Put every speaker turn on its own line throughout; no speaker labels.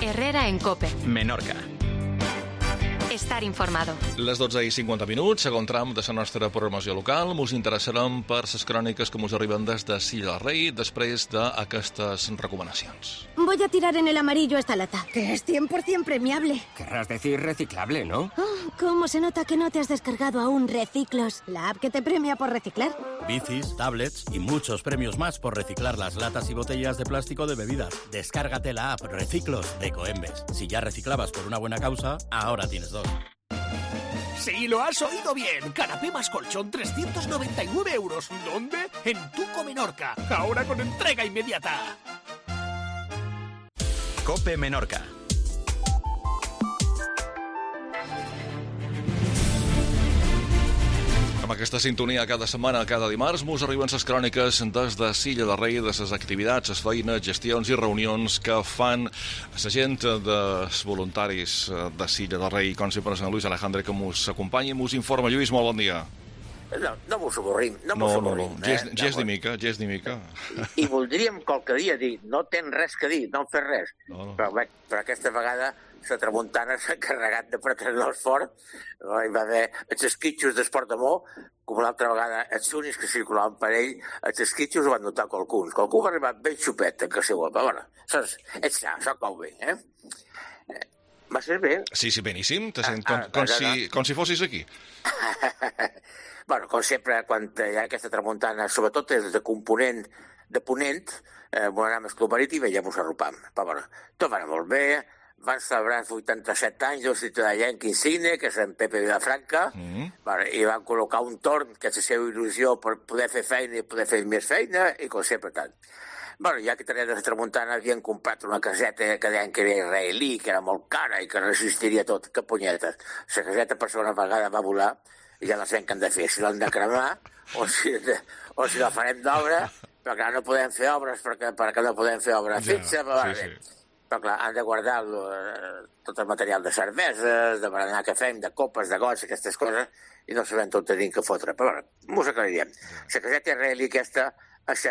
Herrera en COPE.
Menorca.
Estar informado.
Les 12:50, segon tram de la nostra programació local. Us interessarem per les cròniques que us arriben des de Silla del Rei després d'aquestes recomanacions.
Voy a tirar en el amarillo esta lata, que es 100% premiable.
Querrás decir reciclable, ¿no?
Oh, ¿cómo se nota que no te has descargado aún Reciclos, la app que te premia por reciclar?
Bicis, tablets y muchos premios más por reciclar las latas y botellas de plástico de bebidas. Descárgate la app Reciclos de Coembes. Si ya reciclabas por una buena causa, ahora tienes dos.
Sí, lo has oído bien. Canapé más colchón, 399 euros. ¿Dónde? En Tuco Menorca. Ahora con entrega inmediata.
COPE Menorca.
Amb aquesta sintonia cada setmana, cada dimarts, mos arriben les cròniques des de Silla del Rei, de les activitats, les feines, gestions i reunions que fan la gent dels voluntaris de Silla del Rei, com sempre és en Luis Alejandre que mos acompanya i mos informa. Lluís, molt bon dia.
No mos avorrim, no mos avorrim.
Gest ni mica.
I voldríem qualque dia dir, no tens res que dir, no hem fet res.
No.
Però aquesta vegada la tramuntana s'ha encarregat de pretrenar-nos fort. Hi va haver els esquitxos d'Esport d'Amor, com l'altra vegada els únics que circulaven per ell, els esquitxos ho van notar qualcuns. Qualcú va arribar ben xupet a casa seva, però bueno, això cau bé, eh? Va ser bé?
Sí, beníssim, te sent com si fossis aquí.
Bueno, com sempre, quan hi ha aquesta tramuntana, sobretot és de component de ponent, volem el Club Marítim i ja mos arropam. Però bueno, tot va anar molt bé. Van celebrar 87 anys d'un ciutadà insigne, que és en Pepe Vilafranca, i van col·locar un torn, que és la seva il·lusió per poder fer feina i poder fer més feina, i com sempre tant. Bueno, ja que tenia de la tramuntana havien comprat una caseta que deien que era israelí, que era molt cara i que resistiria tot. Que punyetes. La caseta per segona vegada va volar i ja no sabem què hem de fer, si l'hem de cremar o si la farem d'obra, però clar, no podem fer obres perquè no podem fer obra fixa, però clar, han de guardar tot el material de cerveses, de berenar que fem, de copes, de gots, aquestes coses, i no sabem tot tenim que fotre. Però bueno, mos aclarirem. La caseta israelí aquesta, els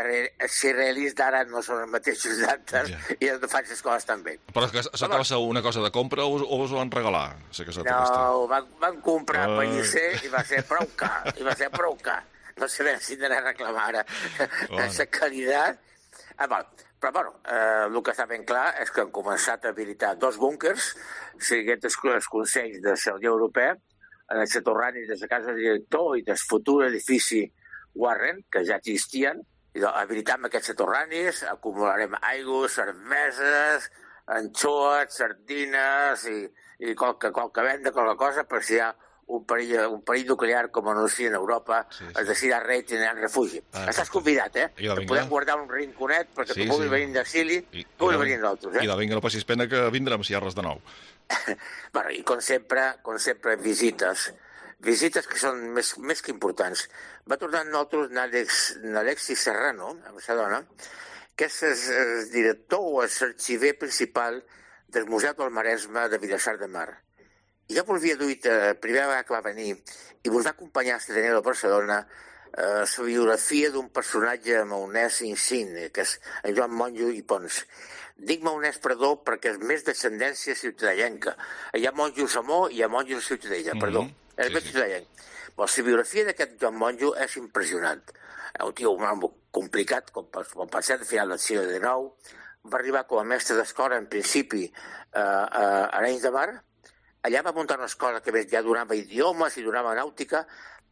israelis d'ara no són els mateixos d'antes i no fan les coses tan bé.
Però això que va ser una cosa de compra o us ho van regalar, la caseta aquesta?
No, van comprar a Pellicer i va ser prou car, No sabem si d'anar a reclamar ara la qualitat. Però bueno, el que està ben clar és que han començat a habilitar 2 búnkers, seguint els consells de la Unió Europea, en els soterranis de la casa del director i del futur edifici Warren, que ja existien. Habilitam aquests soterranis, acumularem aigua, cerveses, anxoes, sardines i qualque venda, qualque cosa, per si hi ha un perill nuclear com anuncien a Europa, els de Silla Rei tindran refugi. Estàs convidat, Podem guardar un rinconet perquè tu puguis venir d'exili, puguis venir nosaltres.
I de vinga, no passis pena que vindrem si hi ha res de nou.
I com sempre, visites que són més que importants. Va tornar amb nosaltres n'Alexis Serrano, amb la dona, que és el director o l'arxiver principal del Museu del Maresme de Vilassar de Mar. I jo volia dir, la primera vegada que va venir, i vos va acompanyar a Estenera de Barcelona, la biografia d'un personatge maonès insigne, que és en Joan Monjo i Pons. Dic maonès, perdó, perquè és més descendència ciutadellenca. Hi ha monjos a Mo i hi ha monjos a Ciutadella, perdó. És més ciutadellenc. La biografia d'aquest Joan Monjo és impressionant. Un tio complicat, com per ser al final del segle XIX, va arribar com a mestre d'escola, en principi, a Arenys de Mar. Allà va muntar una escola que ja donava idiomes i donava nàutica,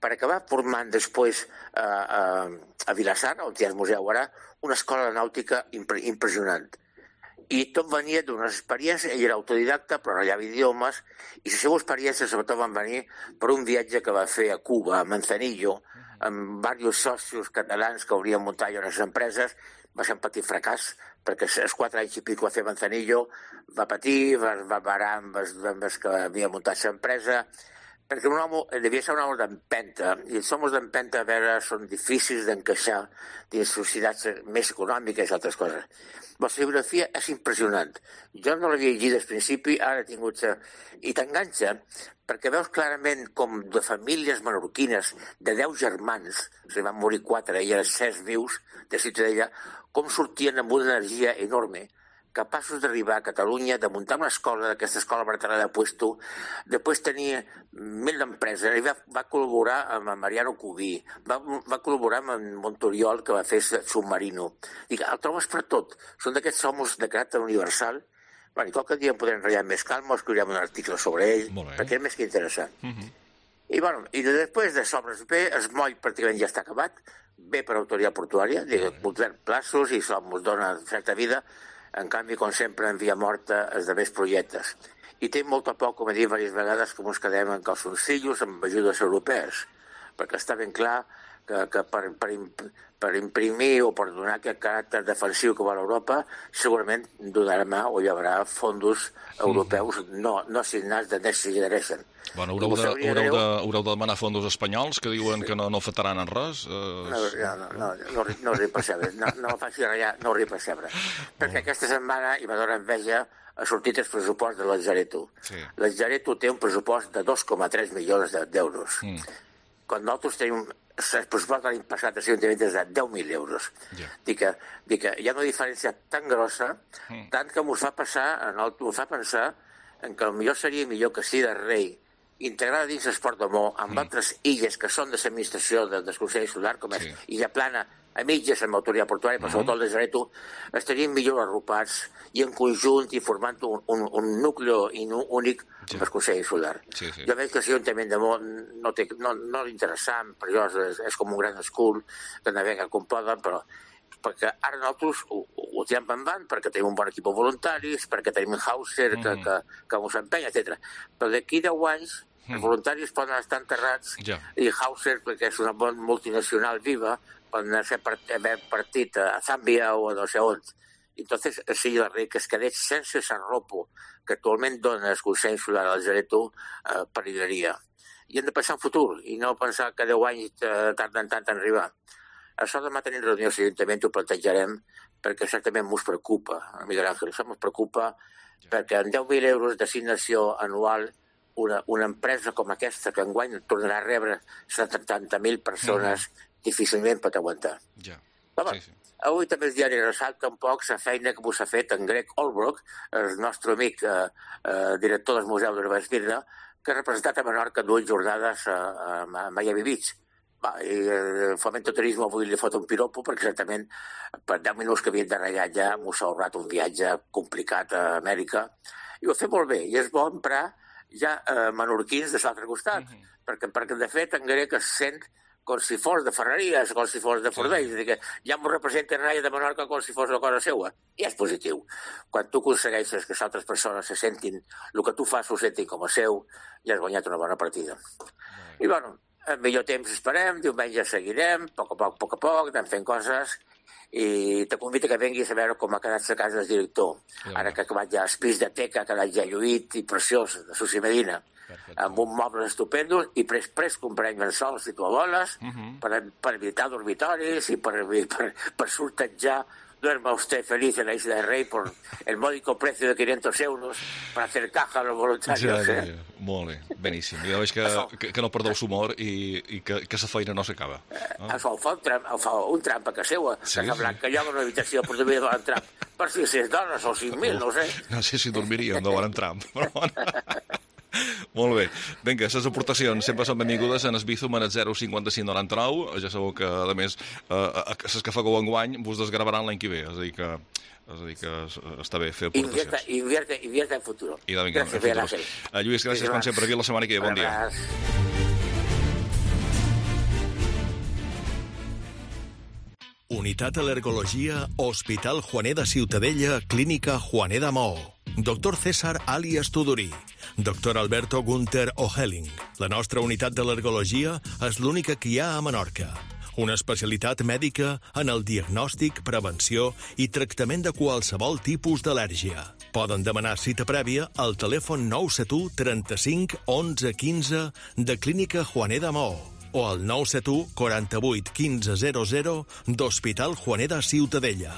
per acabar formant després a Vilassar, on hi ha el museu ara, una escola de nàutica impressionant. I tot venia d'unes experiències, ell era autodidacta, però no hi havia idiomes, i les seves experiències sobretot van venir per un viatge que va fer a Cuba, a Manzanillo, amb diversos socios catalans que haurien muntat allà unes empreses. Va ser un petit fracàs, perquè els 4 anys i pico va fer Manzanillo, va patir, va parar amb els que havia muntat l'empresa, perquè un home devia ser un home d'empenta, i els homes d'empenta, a veure, són difícils d'encaixar dins societats més econòmiques i altres coses. La biografia és impressionant. Jo no l'havia llegit al principi, ara he tingut... I t'enganxa, perquè veus clarament com de famílies menorquines, de 10 germans, se van morir 4, i eren 6 vius de Ciutadella, com sortien amb una energia enorme, capaços d'arribar a Catalunya, de muntar una escola, d'aquesta escola Barcelona de Puesto, després tenia 1000 empreses, i va col·laborar amb Mariano Cubí, va col·laborar amb Montoriol, que va fer Submarino. Dic, el trobes per tot. Són d'aquests homes de caràcter universal. I qualque dia en podrem ratllar més calma, escriurem un article sobre ell, perquè és més que interessant. I després de sobres bé, el moll pràcticament ja està acabat, bé per autoritat portuària, complert plaços i això ens dona certa vida, en canvi, com sempre, en via morta els altres projectes. I té molt a poc, com he dit diverses vegades, que ens quedem en calçoncillos amb ajudes europees, perquè està ben clar que per imprimir o per donar aquest caràcter defensiu que va a Europa, segurament donarà o hi haurà fons europeus no assignats de Next Generation.
Bueno, haureu de demanar fons espanyols que diuen que no afectaran en res?
No ho repacebre. No faci ratllar, no ho repacebre. Perquè aquesta setmana hi va donar enveja ha sortit el pressupost de l'Atzareto. L'Atzareto té un pressupost de 2,3 milions d'euros. Quan nosaltres tenim el pressupost de l'any passat a l'Ajuntament és de 10.000 euros. Dic que hi ha una diferència tan grossa, tant que m'ho fa pensar en que potser seria millor que Sida Rei integrada dins l'Esport d'Amor amb altres illes que són de l'administració del Consell Solar, com és Illa Plana, a mitges amb l'autoritat portuària, però sobretot el Desareto, estarien millor arropats i en conjunt i formant un núcleo únic amb el Consell Solar. Jo veig que l'Ajuntament d'Amor no l'interessant, per jo és com un gran escul de navegar com poden, però perquè ara nosaltres ho tirem endavant perquè tenim un bon equip de voluntaris, perquè tenim Hauser que ens empenya, etc. Però d'aquí 10 anys els voluntaris poden estar enterrats i Hauser, perquè és una bona multinacional viva, poden haver partit a Zàmbia o a no sé on. Entonces, sí, la rei que es quedés sense s'arropo que actualment dona el Consell Solar al Zareto perillaria. I hem de pensar en futur i no pensar que 10 anys tarden tant en arribar. Això demà tenim reunió a l'Ajuntament, ho plantejarem, perquè certament ens preocupa, Miguel Ángel, això ens preocupa, perquè amb 10.000 euros d'assignació anual, una empresa com aquesta, que enguany tornarà a rebre 70.000 persones, difícilment pot aguantar. Avui també el diari ressalta un poc la feina que s'ha fet en Greg Olbrook, el nostre amic director del Museu de Rebesbirna, que ha representat a Menorca 2 jornades a Miami Beach. I el Fomento Turismo avui li fot un piropo perquè certament per 10 minuts que havien de ratllar ja m'ho s'ha ahorrat un viatge complicat a Amèrica i ho ha fet molt bé i és bo emprar ja menorquins de l'altre costat perquè de fet en grec es sent com si fos de Ferreries, com si fos de Fordells, és a dir, que ja m'ho representa Raia de Menorca com si fos una cosa seua. I és positiu. Quan tu aconsegueixes que les altres persones se sentin, el que tu fas ho sentin com a seu, ja has guanyat una bona partida. I bueno, en millor temps esperem, diumenge seguirem, a poc, anem fent coses, i te convido que vinguis a veure com ha quedat la casa del director. Ara que ha acabat ja el pis de teca, ha quedat ja lluït i preciós, de Susi Medina, amb un moble estupendo, i després comprem llençols i tovalloles per evitar dormitoris i per sortejar duerma usted feliz en la Isla del Rey por el módico precio de 500 euros para hacer caja a los voluntarios.
Molt bé, beníssim. Ja veig que no perdeu l'humor i que la feina no s'acaba.
Això ho fa un tramp a casa seva, que lloga una habitació per dormir de tramp per 600 dones o 5.000, no sé.
No sé si dormiríem de tramp, però bueno. Molt bé. Vinga, les aportacions sempre són benvingudes en Esbizum en el 05599. Ja sabeu que, a més, les que fagueu enguany vos desgravaran l'any que ve. És a dir que està bé fer aportacions.
Invierte en futuro.
Gràcies, Miguel Ángel. Lluís, gràcies com sempre. Aquí la setmana que ve. Bon dia.
Unitat Al·lergologia, Hospital Juaner de Ciutadella, Clínica Juaner de Maó. Doctor César alias Tudorí. Doctor Alberto Gunther Ohelling. La nostra unitat d'al·lergologia és l'única que hi ha a Menorca. Una especialitat mèdica en el diagnòstic, prevenció i tractament de qualsevol tipus d'al·lèrgia. Poden demanar cita prèvia al telèfon 971 35 11 15 de Clínica Juaner de Maó o al 971 48 15 00 d'Hospital Juaner de Ciutadella.